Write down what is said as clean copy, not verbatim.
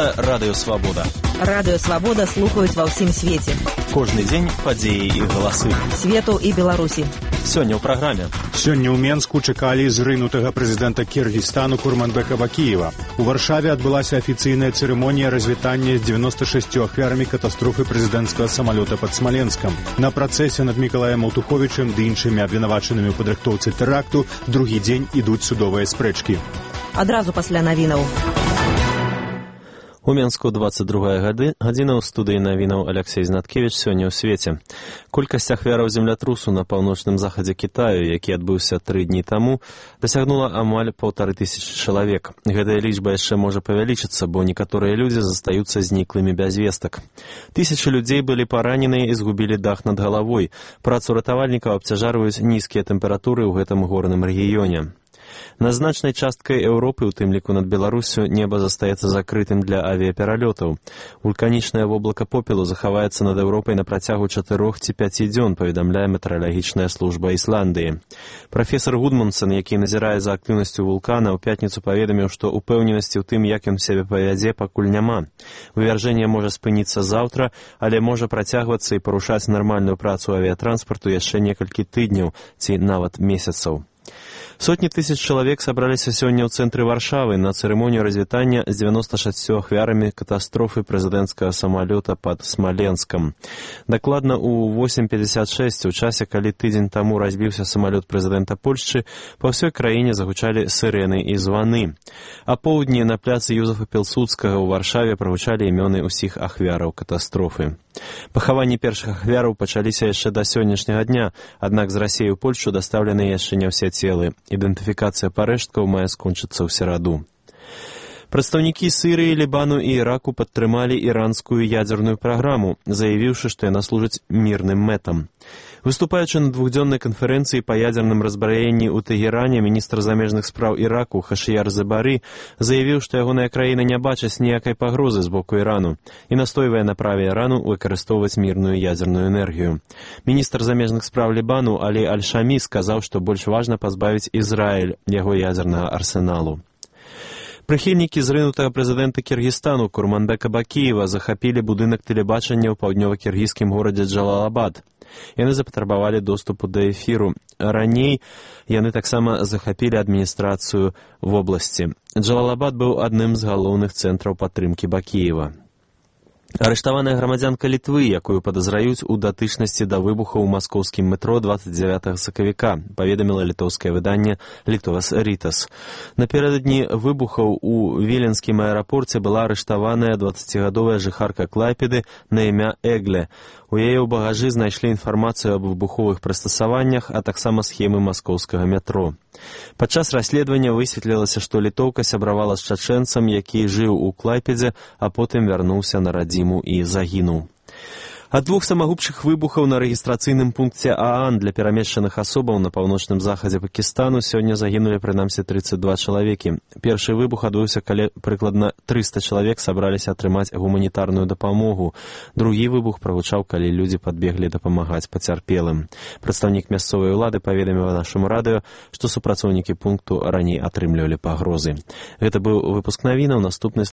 Гэта Радыё Свабода. Радыё Свабода слухаюць ва ўсім свеце. Кожны дзень падзеі і галасы. Свету і Беларусі. Сёння ў праграме. Сёння ў Менску чакалі зрынутага прэзідэнта Кіргізстану Курманбека Бакіева. У Варшаве адбылася афіцыйная цырымонія развітання з 96 ахвярамі катастрофы прэзідэнцкага самалёта пад Смаленскам. На працэсе над Мікалаем Аўтуховічым ды іншымі абвінавачанымі ў падрыхтоўцы тэракту другі дзень ідуць судовыя спрэчкі. Адразу пасля навінаў. У Менску 22 гадзіна ў студыі навінаў Алексей Знаткевіч сёння ў свеце. Колькасць ахвяраў землятрусу на паўночным захадзе Кітаю, які адбыўся 3 дні таму, дасягнула амаль 1500 чалавек. Гэтая лічба яшчэ можа павялічыцца, бо некаторыя людзі застаюцца зніклымі без вестак. Тысячы людзей былі параненыя і згубілі дах над галавой. Працу ратавальнікаў абцяжарваюць нізкія тэмпературы ў гэтым горным рэгіёне. На значнай часткай Еўропы, у тым ліку над Беларусю, неба застаецца закрытым для авіяпералётаў. Вулканічнае воблака попелу захаваецца над Еўропай на працягу 4 ці 5 дзён, паведамляе метэаралагічная служба Ісландыі. Прафесар Гудмунсон, які назірае за актыўнасцю вулкана, ў пятніцу паведаміў, што упэўненасці ў тым, як ён сябе павядзе, пакуль няма. Вывяржэнне можа спыніцца заўтра, але можа працягвацца і парушаць нармальную працу авіятранспарту яшчэ некалькі тыдняў ці нават месяцаў. Сотні тысяч чалавек сабраліся сёння ў цэнтры Варшавы на цырымонію развітання з 96 ахвярамі катастрофы прэзідэнцкага самалёта пад Смаленскам. Дакладна ў 8:56, у часе, калі тыдзень таму разбіўся самалёт прэзідэнта Польшчы, па ўсёй краіне загучалі сырэны і званы. А поўдні на пляцы Юзефа Пілсудскага ў Варшаве прагучалі імёны ўсіх ахвяраў катастрофы. Пахаванні першых ахвяраў пачаліся яшчэ да сённяшняга дня, аднак з Расіі ў Польшчу дастаўлены яшчэ не ўсе целы. Ідэнтыфікацыя парэшткаў мае скончыцца ў сераду. Прадстаўнікі Сірыі, Лібану і Іраку падтрымалі іранскую ядзерную праграму, заявіўшы, што яна служыць мірным мэтам. Выступаючы на двухдзённай канферэнцыі па ядзерным разбраенні ў Тэгеране, міністр замежных спраў Іраку Хашыяр Забары заявіў, што ягоная краіна не бачыць ніякай пагрозы з боку Ірану і настойвае на праве Ірану выкарыстоўваць мірную ядзерную энергію. Міністр замежных спраў Лібану Алі Аль-Шамі сказаў, што больш важна пазбавіць Ізраіль яго ядзернага арсеналу. Прыхільнікі зрынутага прэзідэнта Кіргізстану Курманбека Бакіева захапілі будынак тэлебачання ў паўднёва-кіргізскім горадзе Джалалабад. Яны запатрабавалі доступу да эфіру. Раней яны таксама захапілі адміністрацыю вобласці. Джалалабад быў адным з галоўных цэнтраў падтрымкі Бакіева. Арыштаваная грамадзянка Літвы, якую падазраюць у датычнасці да выбуха ў маскоўскім метро 29 сакавіка, паведаміла літоўскае выданне «Літовас Рітас». Напярэдадні выбухаў у Віленскім аэрапорце была арыштаваная 20гадовая жыхарка Клайпеды на імя Эгле. У яе ў багажы знайшлі інфармацыю аб выбуховых прыстасаваннях, а таксама схемы маскоўскага метро. Падчас расследавання высветлілася, што літоўка сябравала з чачэнцам, які жыў у Клайпедзе, а потым вярнуўся на радзіму і загінуў. Ад 2 самагубчых выбухаў на рэгістрацыйным пункце ААН для перамешчаных асобаў на паўночным захадзе Пакістану сёння загінулі прынамсі 32 чалавекі. Першы выбух адбыўся, калі прыкладна 300 чалавек сабраліся атрымаць гуманітарную дапамогу. Другі выбух прагучаў, калі людзі падбеглі дапамагаць пацярпелым. Прадстаўнік мясцовай улады паведаміў нашаму радыё, што супрацоўнікі пункту раней атрымлівалі пагрозы. Гэта быў выпуск навінаў, наступны